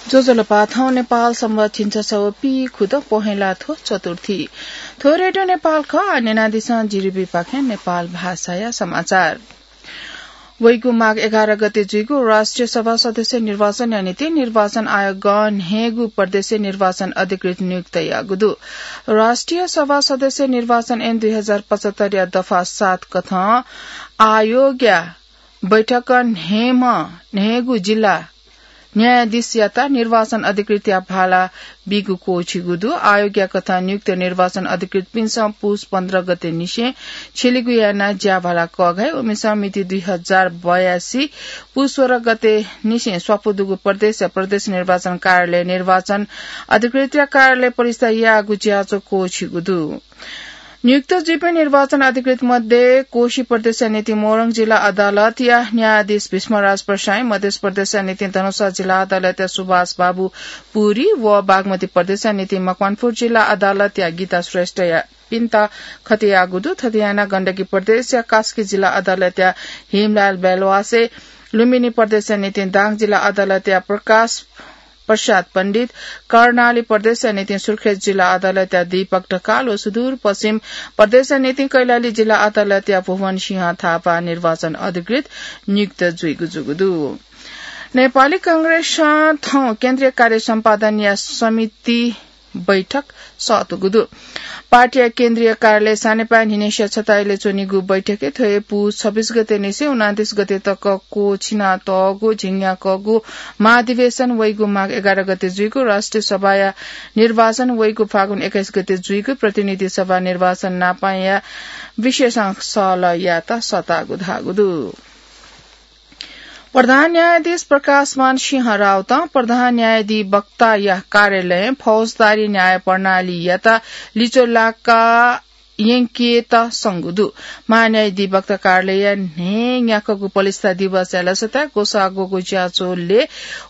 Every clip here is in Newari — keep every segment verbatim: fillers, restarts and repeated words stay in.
ज्वजलपा, थौं नेपाल संवत् झिंछसः व पीखुदँ पहेँला थ्व चतुर्थी। थ्व रेडियो नेपाल खः, आः न्यनादिसँ जीरीबीपाखें नेपाल भाषाया समाचार। वइगु माघ एघार गते जुइगु राष्ट्रिय सभा सदस्य निर्वाचनया निंतिं निर्वाचन आयोगं न्हय्गू प्रदेशय् निर्वाचन अधिकृत नियुक्त याःगु दु। राष्ट्रिय सभा सदस्य निर्वाचन ऐन दुई हजार पचहत्तरया दफा सात कथं आयोगया बैठकं न्हय्म्ह, न्हय्गू जिल्ला न्यायाधीशयात निर्वाचन अधिकृतया भाला बीगु क्वःछिगु दु। आयोगया कथं नियुक्त निर्वाचन अधिकृतपिन्सं पुस पन्ध्र गते निसें छ्यलिगु यानाः ज्याभाला कःघाइ। उमिसं मिति दुई हजार बयासी पुस सोह्र गते निसें स्वापू दुगु प्रदेश, प्रदेश निर्वाचन कार्यालय निर्वाचन अधिकृतया कार्यालय परिसरय् याःगु ज्याझ्वः क्वःछिगु दु। नियुक्त जुइपिं निर्वाचन अधिकृत मध्ये कोशी प्रदेशया निंतिं मोरङ जिल्ला अदालतया न्यायाधीश भीष्मराज प्रसाईं, मध्य प्रदेशया निंतिं धनुषा जिल्ला अदालतया सुभाष बाबु पुरी व बागमती प्रदेशया निंतिं मकवानपुर जिल्ला अदालतया गीता श्रेष्ठया पिन्त खतेयाःगु दु। थथे यानाः गण्डकी प्रदेशया कास्की जिल्ला अदालतया हिमलाल बेलवासे, लुम्बिनी प्रदेशया निंतिं दाङ जिल्ला अदालतया प्रकाश प्रसाद पण्डित, कर्णाली प्रदेशया निंतिं सुर्खेत जिल्ला अदालतया दीपक ढकाल व सुदूरपश्चिम प्रदेशया निंतिं कैलाली जिल्ला अदालतया भुवन सिंह थापा निर्वाचन अधिकृत नियुक्त जुइगु जूगु दु। नेपाली कांग्रेसं थौं केन्द्रीय कार्य सम्पादनया समिति बैठक सःतूगु दु। पार्टीया केन्द्रीय कार्यालय सानेपाय् न्हिनय्सिया छता इलय् च्वनीगु बैठकय् थ्व हे पुस छब्बीस गते निसें उनान्तीस गते तक क्वःछिनातःगु झिंन्याक्वःगु महाधिवेशन वइगु माघ एघार गते जुइगु, राष्ट्रिय सभाया निर्वाचन वइगु फागुन एक्काइस गते जुइगु, प्रतिनिधि सभा निर्वाचन नापंया विषयसं सहलह यायेत सःतागु धाःगु दु। प्रधान न्यायाधीश प्रकाशमान सिंह राउतं प्रधान न्यायाधिवक्ताया कार्यालयं फौजदारी न्याय प्रणालीयात लिच्वः लाका यंकेत संगु दु। महान्यायाधिवक्ता कार्यालयया न्हय्न्याक्वःगु पलिस्था दिवसया लसताय् ग्वसाः ग्वःगु ज्याझ्वलय्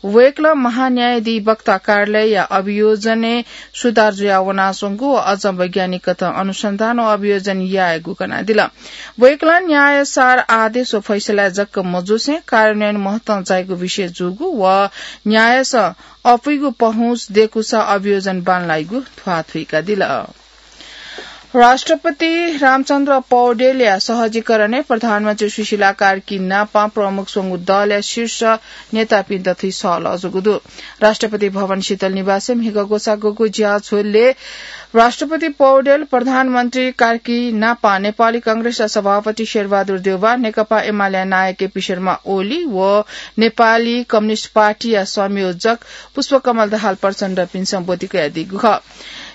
वय्कलं महान्यायाधिवक्ता कार्यालयया अभियोजनय् सुधार जुयावनाच्वंगु व अझ वैज्ञानिक कथं अनुसन्धान व अभियोजन यायेगु कनादिल। वय्कलं न्यायसार आदेश व फैसलाय् जक मजुसें कार्यान्वयन महत्वं जाइगु विषय जूगु व न्यायसं अपुइगु पहुँच दय्कूसा अभियोजन बांलाइगु ध्वाथुइकादिल। राष्ट्रपति रामचन्द्र पौडेलया सहजीकरणय् प्रधानमन्त्री सुशीला कार्की नापं प्रमुख स्वंगू दलया शीर्ष नेतापिन्त थुइ सहलह जूगु दु। राष्ट्रपति भवन शीतल निवासय् म्हिगः ग्वसाः ग्वःगु ज्याझ्वलय् राष्ट्रपति पौडेल, प्रधानमन्त्री कार्की नापं नेपाली कांग्रेसया सभापति शेरबहादुर देउवा, नेकपा एमालेया नायः केपी शर्मा ओली व नेपाली कम्युनिस्ट पार्टीया संयोजक पुष्पकमल दाहाल प्रचण्डपिन्सं ब्वति कयादीगु खः।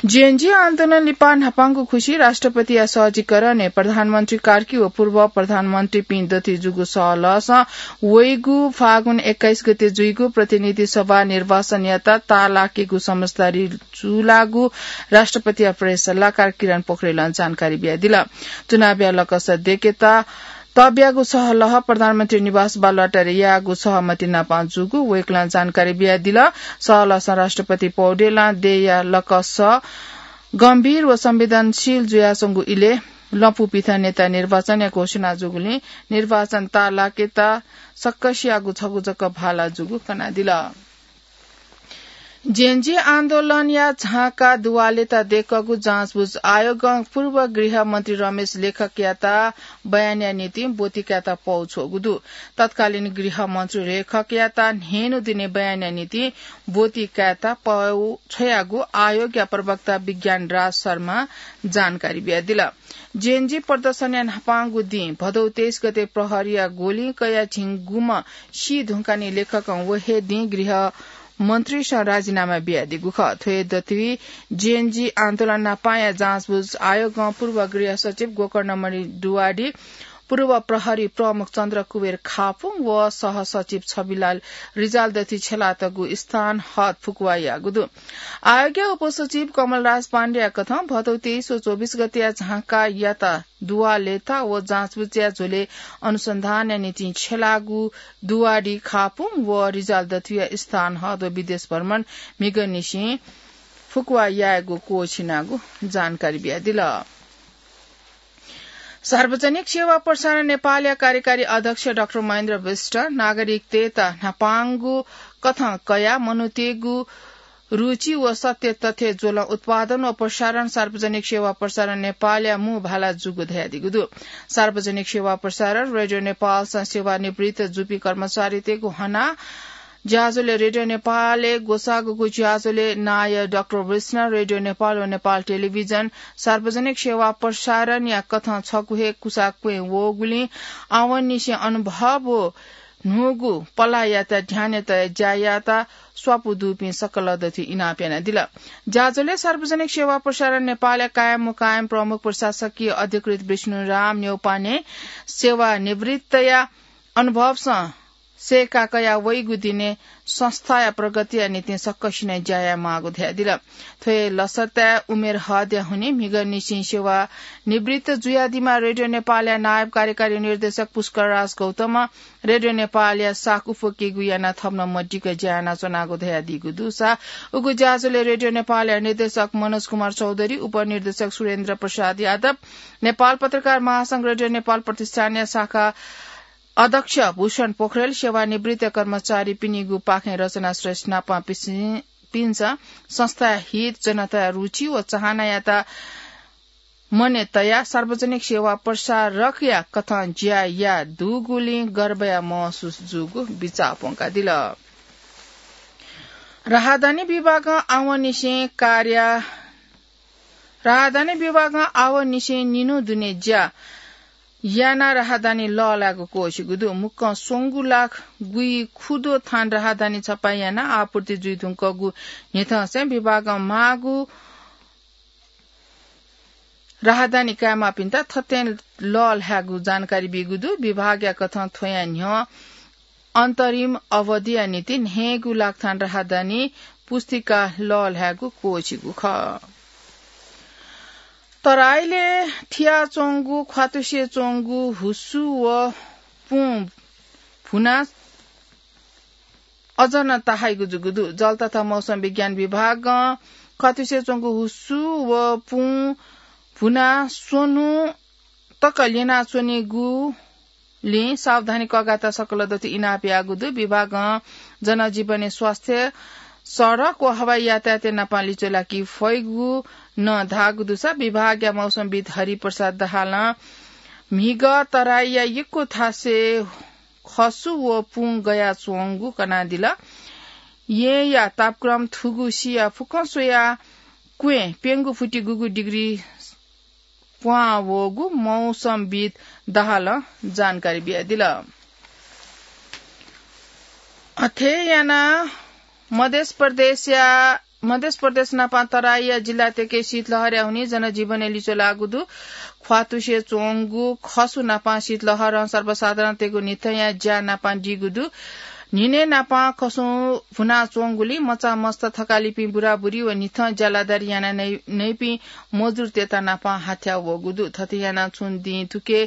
जेएनजी आन्दोलन लिपा न्हापांगु खुसि राष्ट्रपतिया सहजीकरणय् प्रधानमन्त्री कार्की व पूर्व प्रधानमन्त्रीपिं दथुइ जूगु सहलहसं वइगु फागुन एक्काइस गते जुइगु प्रतिनिधि सभा निर्वाचनयात ताःलाकेगु समझदारी जूलाःगु राष्ट्रपतिया प्रेस सल्लाहकार किरण पोखरेलं जानकारी बियादिल। चुनावया लकस दय्केत तब्यागु सहलह प्रधानमन्त्री निवास बालुवाटारय् याःगु सहमति नापं जूगु वय्कलं जानकारी बियादिल। सहलहसं राष्ट्रपति पौडेलं देय्या लकस गम्भीर व संवेदनशील जुयाच्वंगु इलय् लँपुपिथं नेता निर्वाचनया घोषणा जूगुलिं निर्वाचन ताःलाकेत सकसियागु छगू जक भाला जूगु कनादिल। जेएनजी आन्दोलनया झाँक्का दुवालेत दय्कःगु जाँचबुझ आयोगं पूर्व गृहमन्त्री रमेश लेखकयात बयानया निंतिं ब्वति कायेत पौ छ्वःगु दु। तत्कालीन गृहमन्त्री लेखकयात न्हय्न्हु दिने बयानया निंतिं ब्वति कायेत पौ छ्वयागु आयोगया प्रवक्ता विज्ञान राज शर्मां जानकारी बियादिल। जेएनजी प्रदर्शनया न्हापांगु दिं भदौ तेइस गते प्रहरीया गोलिं कयाः झिंगुम्ह सी धुंकाः निं लेखकं व हे दिं गृह मन्त्रीसं राजीनामा बियादीगु खः। थ्व हे दथुइ जेएनजी आन्दोलन न्हापांया जाँचबुझ आयोगं पूर्व गृह सचिव गोकर्णमणि दुवाडी, पूर्व प्रहरी प्रमुख चन्द्र कुबेर खापुङ व सहसचिव छविलाल रिजाल दथुइ छ्यलातःगु स्थान हद फुकुवा याःगु दु। आयोगया उपसचिव कमलराज पाण्डेया कथं भदौ तेइस व चौबिस गतेया झाँक्कायात दुवालेत व जाँचबुझया झ्वलय् अनुसन्धानया निंतिं छ्यलाःगु दुवाडी, खापुङ व रिजाल दथुइया स्थान हद व विदेश भ्रमण म्हिगःनिसें फुकुवा यायेगु क्वःछिनागु जानकारी बियादिल। सार्वजनिक सेवा प्रसारण नेपालया कार्यकारी अध्यक्ष डाक्टर महेन्द्र विष्ट नागरिकतय्त न्हापांगु कथं कयाः मनूतय्गु रुचि व सत्य तथ्य ज्वलं उत्पादन व प्रसारण सार्वजनिक सेवा प्रसारण नेपालया मू भाला जूगु धयादीगु दु। सार्वजनिक सेवा प्रसारण रेडियो नेपालसं सेवानिवृत्त जूपिं कर्मचारीतय्गु हना ज्याझ्वलय् रेडियो नेपालय् ग्वसाःगु ज्याझ्वलय् नायः डाक्टर विष्णु, रेडियो नेपाल व नेपाल टेलिभिजन सार्वजनिक सेवा प्रसारणया कथं छगू हे कुसा क्वँय् वःगुलिं आवंनिसें अनुभव व न्हूगु पलाःयात ध्यानय् तयाः ज्या यायेत स्वापू दुपिं सकल दथुइ इनाप यानादिल। ज्याझ्वलय् सार्वजनिक सेवा प्रसारण नेपालया कायम मुकायम प्रमुख प्रशासकीय अधिकृत विष्णुराम न्यौपाने सेवानिवृत्तया अनुभवसं सय्का कयाः वइगु दिनय् संस्थाया प्रगतिया निंतिं सकसिनं ज्या यायेमाःगु धयादिल। थ्व हे लसताय् उमेर हदया हुनिं म्हिगःनिसें सेवानिवृत्त जुयादीम्ह रेडियो नेपालया नायब कार्यकारी निर्देशक पुष्कर राज गौतमं रेडियो नेपालया साख उफुकीगु यानाः थप नं मदिक्क ज्या यानाच्वनागु धयादीगु दुसा उगु ज्याझ्वलय् रेडियो नेपालया निर्देशक मनोज कुमार चौधरी, उपनिर्देशक सुरेन्द्र प्रसाद यादव, नेपाल पत्रकार महासंघ रेडियो नेपाल प्रतिष्ठानया शाखा अध्यक्ष भूषण पोखरेल, सेवानिवृत्त कर्मचारीपिनिगु पाखें रचना श्रेष्ठ नापं पिसि-, पिन्सं संस्थाया हित, जनताया रुचि व चाहनायात मनय् तयाः सार्वजनिक सेवा प्रसारकया कथं ज्या याः दुगुलिं गर्वया महसुस जूगु बिचाः प्वंकादिल। राहदानी विभागं आवंनिसें कार्या-, राहदानी विभागं आवंनिसें निन्हु दुने ज्या यानाः राहदानी लःल्हायेगु क्वःछिगु दु। मुक्कं स्वंगू लाख गुइखुदँ थान राहदानी छपाः यानाः आपूर्ति जुइधुंकूगु न्ह्यथंसें विभागं माःगु राहदानी कायेमाःपिन्त थथें लःल्हायेगु जानकारी बीगु दु। विभागया कथं थ्वया न्ह्यः अन्तरिम अवधिया निंतिं न्हय्गू लाख थान राहदानी पुस्तिका लःल्हायेगु क्वःछिगु खः। तराईले थियाच्वंगु ख्वातुसे च्वंगु हुसु व पुँ भुना अझ नं ताहाइगु जूगु दु। जल तथा मौसम विज्ञान विभागं ख्वातुसे च्वंगु हुसु व पुँ भुना स्वन्हु तक ल्यनाच्वनीगुलिं सावधानी कःघात सकल दथुइ इनाप याःगु दु। विभागं जनजीवनय् स्वास्थ्य, सडक व हवाई यातायातय् नापं लिच्वलाकी फइगु नं धाःगु दुसा विभागया मौसमविद् हरिप्रसाद दाहालं म्हिगः तराईया यक्व थासय् खसु व पुँ गयाच्वंगु कनादिल। येँया तापक्रम थुगु सिया फुक्कं स्वयाः क्वँय् प्यंगू फुति गुगू डिग्री प्वहां वःगु मौसमविद् दाहालं जानकारी बियादिल। अथे यानाः मध्य प्रदेशया, मध्य प्रदेश नापं तराईया जिल्लातय्के शीतलहरया हुनिं जनजीवनय् लिच्वलाःगु दु। ख्वातुसे च्वंगु खसु नापं शीतलहरं सर्वसाधारणतय्गु न्हिथंया ज्या नापं दीगु दु। न्हिनय् नापं खसुं भुनाच्वंगुलिं मचामस्त थकालिपिं बुराबुरी व न्हिथं ज्यालादारी याना नै-, नइपिं मजुरतय्त नापं हाथ्या वःगु दु। थथे यानाः छुं दिं थुके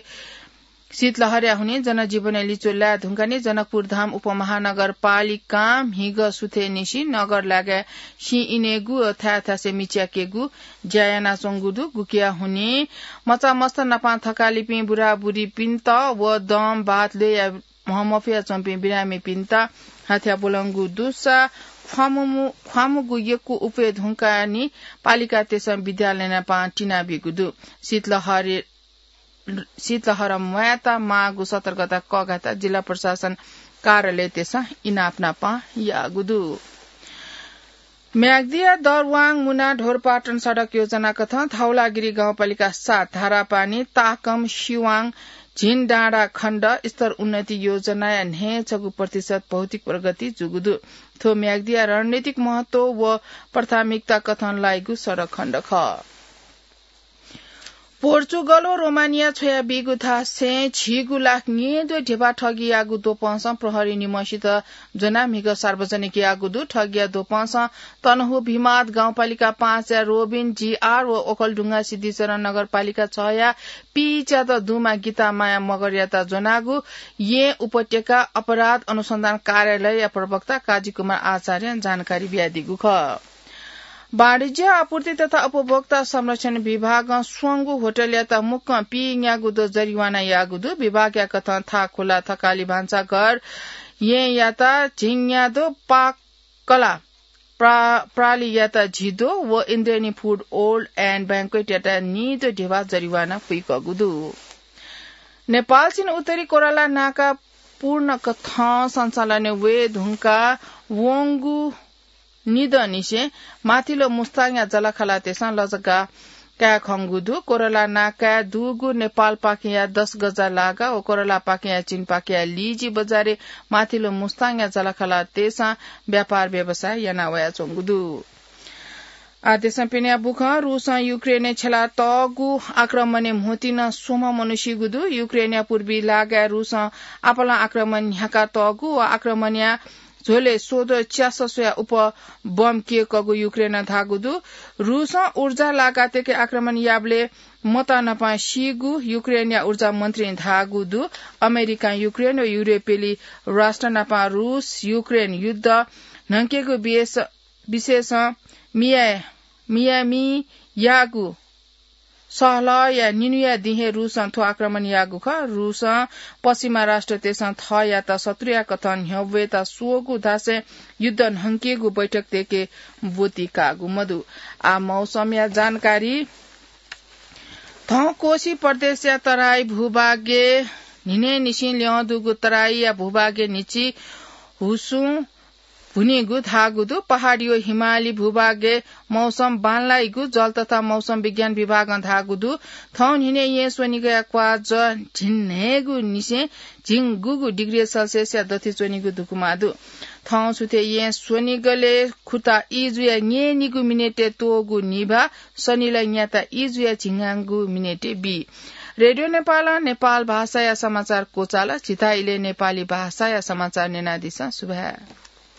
शीतलहरया हुनिं जनजीवनय् लिच्वलाये धुंकाः नि जनकपुरधाम उपमहानगरपालिकां म्हिगः सुथय् निसें नगर लागाय् सिँ इनेगु व थाय् थासय् मिच्याकेगु ज्या यानाच्वंगु दु। गुकिया हुनिं मचामस्त नापं थकालिपिं बुराबुरीपिन्त व दम बात ल्वय्या म्ह मफयाच्वंपिं बिरामीपिन्त हाथ्या ब्वलंगु दुसा ख्वामु-, ख्वामुगु यक्व उफय् धुंकाः नि पालिकातय्सं विद्यालय नापं तिनाबीगु दु। शीतलहर शीतलहर म्वायेत माःगु सतर्कता कःघात जिल्ला प्रशासन कार्यालयतय्सं इनाप नापं याःगु दु। म्याग्दिया दरवाङ मुना ढोरपाटन सडक योजना कथं धौलागिरी गाउँपालिका सात धारापानी, ताकम, सिवाङ, झिनडाँडा खण्ड स्तर उन्नति योजनाया न्हय्छगू प्रतिशत भौतिक प्रगति जूगु दु। थ्व म्याग्दिया रणनीतिक महत्व व प्राथमिकता कथं लाइगु सडक खण्ड खः। पोर्चुगल व रोमानिया छ्वयाबीगु थासय् झिगू लाख न्येद्वः ढिबा ठगीयागु द्वपंसं प्रहरी निम्हसित ज्वनाः म्हिगः सार्वजनिक याःगु दु। ठगीया द्वपंसं तनहुँ भिमाद गाउँपालिका पाँचया रोबिन जीआर व ओखलढुङ्गा सिद्धिचरण नगरपालिका छया पीच्यादँ दुम्ह गीता माया मगरयात ज्वनागु येँ उपत्यका अपराध अनुसन्धान कार्यालयया प्रवक्ता काजी कुमार आचार्यं जानकारी बियादीगु खः। वाणिज्य, आपूर्ति तथा उपभोक्ता संरक्षण विभागं स्वंगू होटलयात मुक्कं पीन्यागू द्वः जरिवाना याःगु दु। विभागया कथं थाकुला थकालि भान्साघर येँयात झिंन्यादँ पाकला प्रा-, प्रालियात झिद्वः व इन्द्रेणी फुड ओल्ड एन्ड ब्याङ्क्वेटयात नीद्वः धिबा जरिवाना पुइकःगु दु। नेपालसिन उत्तरी कोरला नाका पूर्ण कथं सञ्चालनय् वये धुंका वंगु निदँनिसें माथिल्लो मुस्ताङया जःलाखःलातय्सं लजगाः काये खंगु दु। कोरला नाकाय् दुगु नेपालपाखेया दस गजा लागा व कोरलापाखेया चीनपाखेया लिजी बजारय् माथिल्लो मुस्ताङया जःलाखःलातय्सं व्यापार व्यवसाय याना वयाच्वंगु दु। आः देशं पिने बुखँ, रूसं युक्रेनय् छ्यला तःगु आक्रमणय् म्होतिं स्वम्ह मनू सीगु दु। युक्रेनया पूर्वी लागाय् रूसं आपालं आक्रमण न्ह्याका तःगु व आक्रमणया झ्वलय् स्वद्वः च्यासः स्वया उप बम क्यय्कःगु युक्रेनं धाःगु दु। रूसं ऊर्जा लागातय्के आक्रमण याःबलय् मत न्हापां सीगु युक्रेनया ऊर्जा मन्त्रीं धाःगु दु। अमेरिकां युक्रेन व युरोपेली राष्ट्र नाप रूस युक्रेन युद्ध न्हंकेगु वियस-, विशेषं मिया-, मियामी याःगु सहलहया निन्हुया दिं हे रूसं थ्व आक्रमण याःगु खः। रूसं पश्चिमा राष्ट्रतय्सं थःयात शत्रुया कथं न्ह्यब्वयेत स्वःगु धासें युद्ध न्हंकेगु बैठकतय्के ब्वति काःगु मदु। आः मौसमया जानकारी। थौं कोशी प्रदेशया तराई भूभागय् न्हिनय्निसें ल्यं दुगु तराईया भूभागय् न्हिच्छि हुसुं भुनीगु धाःगु दु। पहाडी व हिमाली भूभागय् मौसम बांलाइगु जल तथा मौसम विज्ञान विभागं धाःगु दु। थौं न्हिनय् येँ स्वनिगया क्वाःजः झिंन्हय्गुनिसें झिंगुगु डिग्री सेल्सियसया दथुइ च्वनीगु धुकुमा दु। थौं सुथय् येँ स्वनिगलय् खुता ई जुया न्यय्निगू मिनेटय् त्वःगू निभाः, सनिलय् न्याता ई जुया झिंन्हय्गू मिनेटय् बी। रेडियो नेपालं नेपाल भाषाया समाचार क्वचाल। झीथाय् इलय् नेपाली भाषाया समाचार न्यनादिसँ। सुभाय्।